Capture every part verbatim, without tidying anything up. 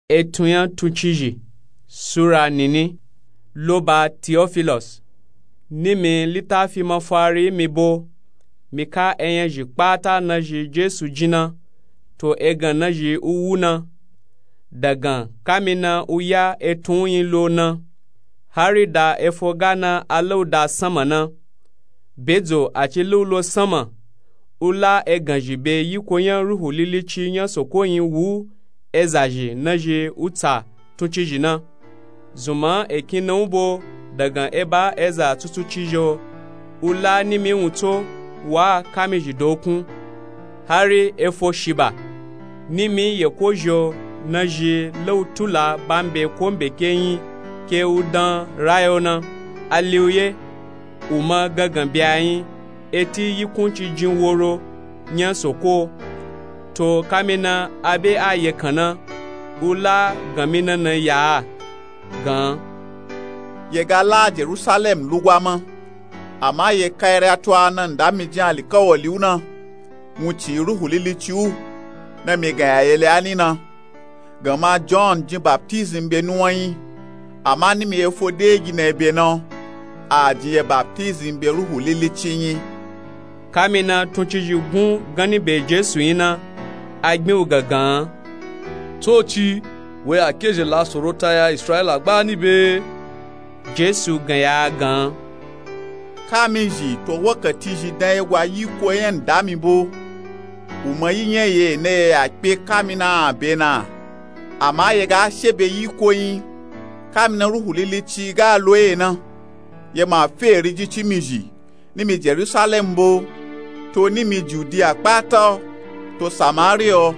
Etun nya tuncizhi. Sura nini. Lo ba Tiyofilos, nimi litafi mafari mi bo, mi ka enyazhi kpata nazhi Jesu jin na, to egan nazhi u wu na, dagan kamina u ya etun nyi lo na, hari da efo ga na alauda sanma na. Bedzo a ci leu lo sanma, u la eganzhi be yiko nya Ruhu Lilici nya Soko nyi wu ezazhi nazhi u tsa tuncizhi na. Zunman e kin na u bo, dagan e ba eza tsutsutsi zhi o, u la nimi wutso, wa kamizhi dokun. Hari efo shiba, nimi yeko zhi o, nazhi leu tula bambe ko mbeke nyi ke u dan rayo na, a li u ye. U ma gangan bya nyi, eti yikun ci jin woro nya Soko. To kamina abe a yekan na, u la ganmi na na ya a, gan, ye ga la Jerusalem lugwa ma, ama ye kairi a to a na nda mi jin alikawali u na, wuncin Ruhu Lilici u, na mi gan ya yeli a ni na. Ganma John jin baptizim be nuwan nyi, ama nimi efo de gi na ebe na, a jin ye baptizim be Ruhu Lilici nyi. Kamina tuncizhi gun ganni be Jesu nyi na, a gbin u gangan, Tsoci, we a kezhe la sorota ya Israila gba ni be? Jesu gan ya a gan, kamizhi to wakati zhi dan ye gwa yiko nya nda mi bo. U ma yi nya ye na ye ya kpe kamina a be na, ama ye ga she be yiko nyi, kamina Ruhu Lilici ga lo ye na. Ye ma fe eri jin ci mizhi, nimi Jerusalem bo, to nimi Judiya kpata o, to Samariya o,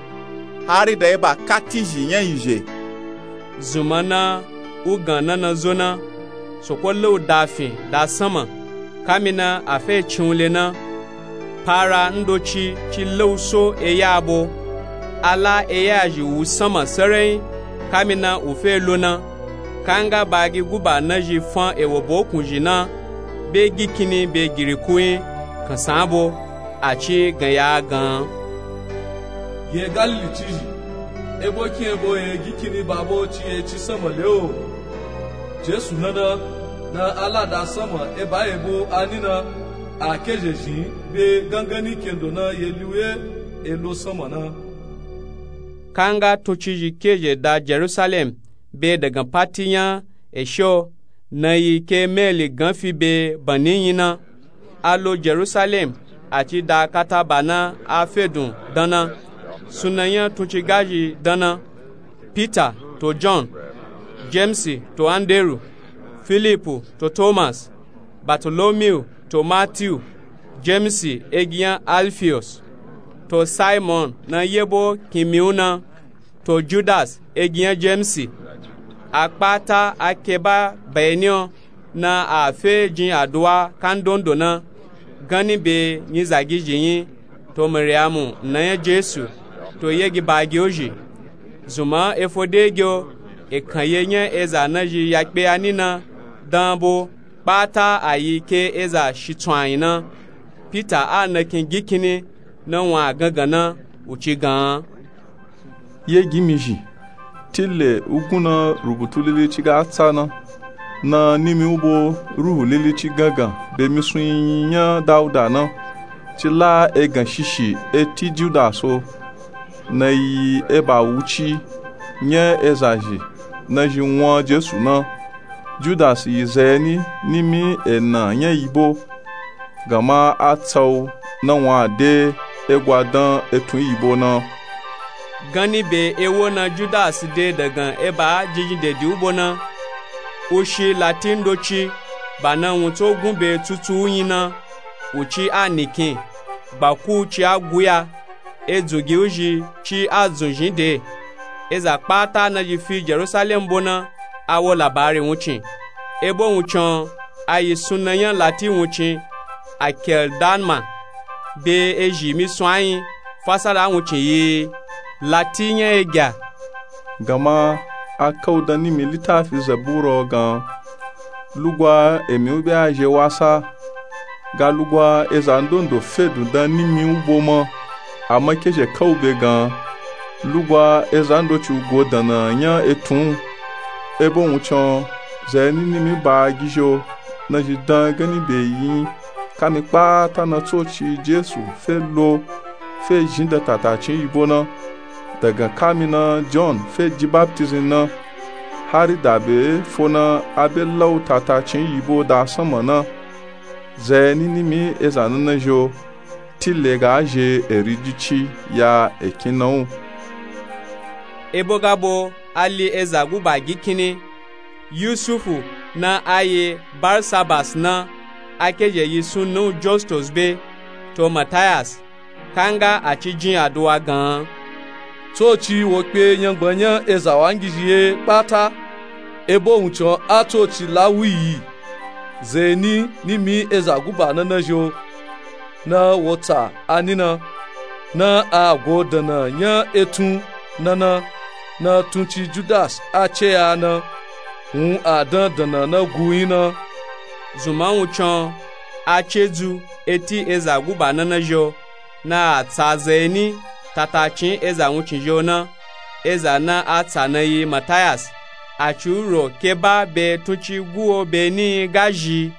hari da ye ba katin zhi nya izhe. Zunman na u gan na na zo na, Soko leu da fin da sanma, kamina a fe cin u le na. Para ndoci ci leu so eya bo, a la eya zhi wu sanma sarai, kamina u fe lo na. Kanga bagi guba nazhi fan ewo bokun zhi na, be gikinni be giriku nyi, kansan bo, a ci gan ya a gan, Ye Galili cizhi, ebo kin ebo ye gikinni ba bo ci ye ci sanma le o? Jesu na na, na a la da sanma e ba ye bo a ni na, a kezhe zhin be ganganni kendo na ye li u ye e lo sanma na. Kanga tuncizhi kezhe da Jerusalem be dagan pati nya eshe o, na yi ke Meli gan fi be banni nyi na. A lo Jerusalem, a ci da kata ba na a fedun dan na, sunnan nya tuncigazhi dan na, Pita to John, Jemisi to Anderu, Filipu to Tomas, Batolomiyu to Matiyu, Jemisi egi nya Alfiyos, to Saimon na yebo kinmi u na, to Judasi egi nya Jemisi. A kpata a ke ba beni o, na a fe jin aduwa kandondo na, ganni be nyizagizhi nyi, to Mariyamu nna nya Jesu, to yegi bagi u zhi. Zunman efo de gi o, ekan ye nya eza nazhi ya kpe a ni na dan bo, kpata a yi ke eza shitsun ayin na. Pita a nakin gikinni na wan a gangan na, u ci gan, Ye gi mizhi, tile u gun na rubutu lilici ga tsa na, na nimi u bo Ruhu Lilici gangan be misun yinyin nya Dauda na, ci la egan shishi eti Judasi o, na yi eba wuci nya ezazhi nazhi wan Jesu na. Judasi yi zayeni nimi ena nya yi bo, ganma a tsa u na wan a de egwa dan etun yi bo na. Ganni be ewo na Judasi de dagan eba jinjin dedi u bo na, u shi lati ndoci, ba na wun tso gun be tsutsu u nyi na, u ci a nikin, gbaku u ci a guya, edzun gi u zhi ci a dzun zhin de. Eza kpata nazhi fi Jerusalem bo na, a wo labari wuncin. Ebo wuncin o, a yi sunnan nya lati wuncin, Akeldama, be ezhi misun ayin, fasara wuncin yi, Lati nya egya. Ganma a ka u dan nimi litafi Zabura o gan, Lugwa emi u be a zhe wasa, ga lugwa eza ndondo fedun dan nimi u bo ma, ama kezhe ka u be gan. Lugwa eza ndoci ugo dana nya etun. Ebo wuncin o, zai nini mi ba gizhi o, nazhi dan gani be yi nyi. Kami kpata na tsoci jesu fe lo fe zhin da tatacin yibo na. Daga kami na john fe ji baptism na, hari dabe fo na abe lau tatacin yibo da sanma na. Zai nini mi eza nana zhi o, tile ga zhe eri jici ya ekin na wu. Ebo gabo a li eza guba gi kini, yusufu na a ye barsabas na, a ke zhe yi sun na wu justus be, to matayas. Kanga a ci jin aduwa gan an. Tsoci wo kpe nyangban nya eza wangizhi ye kpata. Ebo wuncin o a tsoci la wu yi. Zai ni ni mi eza guba nana zhi o, na wo tsa a ni na, na a go dana nya etun nana, na tunci judas a ce ya na, wun a dan dana na gu nyi na. Zunma wuncin o, a ce dzu eti eza guba nana zhi o, na a tsa zai ni tatacin eza wuncin zhi o na. Eza na a tsa na yi matayas. A ci wu ro ke ba be tunci gu o be ni ga zhi.